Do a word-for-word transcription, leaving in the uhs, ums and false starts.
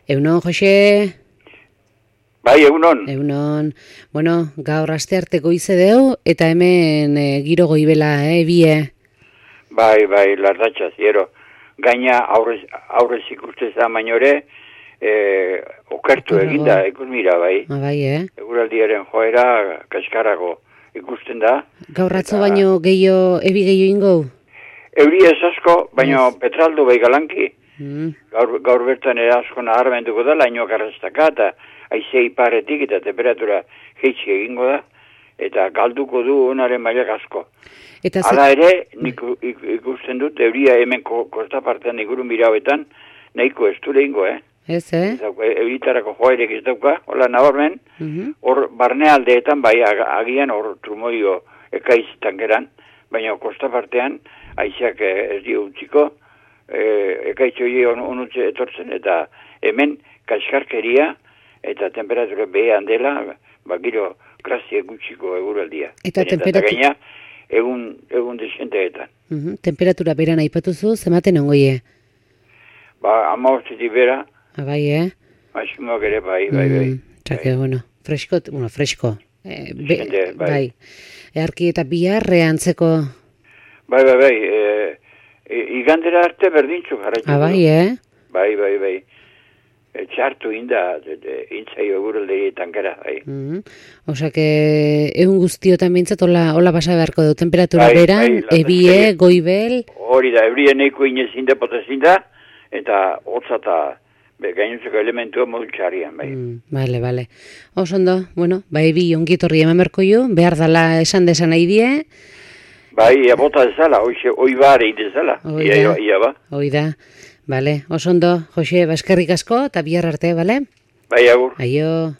Eunon, Jose? Bai, egunon. Eunon. Bueno, gaur aste arte goize deu, eta hemen e, giro goibela, eh, bie? Bai, bai, lardatxa ziero. Gaina aurrez, aurrez ikusteza mainore, e, okertu eginda, ikus mira, bai. Ah, bai, eh? Eguraldiaren joera kaskarago ikusten da. Gaur atzo baino gehiago, ebi gehiago ingo? Euri ez asko, baino yes. Petraldu bai galanki. Mm. Gaur, gaur bertan ere asko naharmenduko da, laino karrastaka, eta aize iparetik eta temperatura jeitsi egingo da, eta galduko du onaren mailak asko. Eta hala ere, nik ikusten dut, euria hemen kostapartean igurun mirauetan, nahiko ez du lehingo, eh? Ez, eh? Euritarako joairek ez dauka, hola nabarmen, hor mm-hmm. barnealdeetan, bai agian hor trumoio ekaizitan geran, baina kostapartean, aizeak ez dio utziko, e, ekaitxoi on, onutze etortzen, eta hemen kaskarkeria, eta temperatura behean dela, ba, giro krasie gutxiko eguraldia. Eta temperatura... gaina, egun, egun desenteetan. Uh-huh. Temperatura beran aipatuzu, zematen ongoie? Ba, ama hortzetik bera. Ah, bai, eh? Maximoak ere, bai, bai, bai. Mm, txake, bai. Bueno, fresko, bueno, fresko. Eh, be, Gente, bai. bai. Earki eta biharre antzeko... Bai, bai, bai. E, e, igandera arte berdintzu jarraitu. Ah, bai, eh? Bai, bai, bai. Txartu inda, intzaio eguraldeetan gara, bai. Mm-hmm. Osa que egun guztiotan bintzat, hola, hola pasa beharko du, temperatura bai, beran, bai, ebie, goibel... Hori da, ebrie neiko inezin da, potezin da, eta hotza eta gainuntzeko elementua modultxarian, bai. Mm, bale, bale. Osondo, bueno, ba ebi ongitorri eman berko jo, behar dala esan desan nahi die. Bai, ia bota dezala, oi bare idezala, ia, ia ba. Hoi da. Bale, oso ondo, Jose, baskerrik asko, eta bihar arte, bale? Bai, agur. Aio.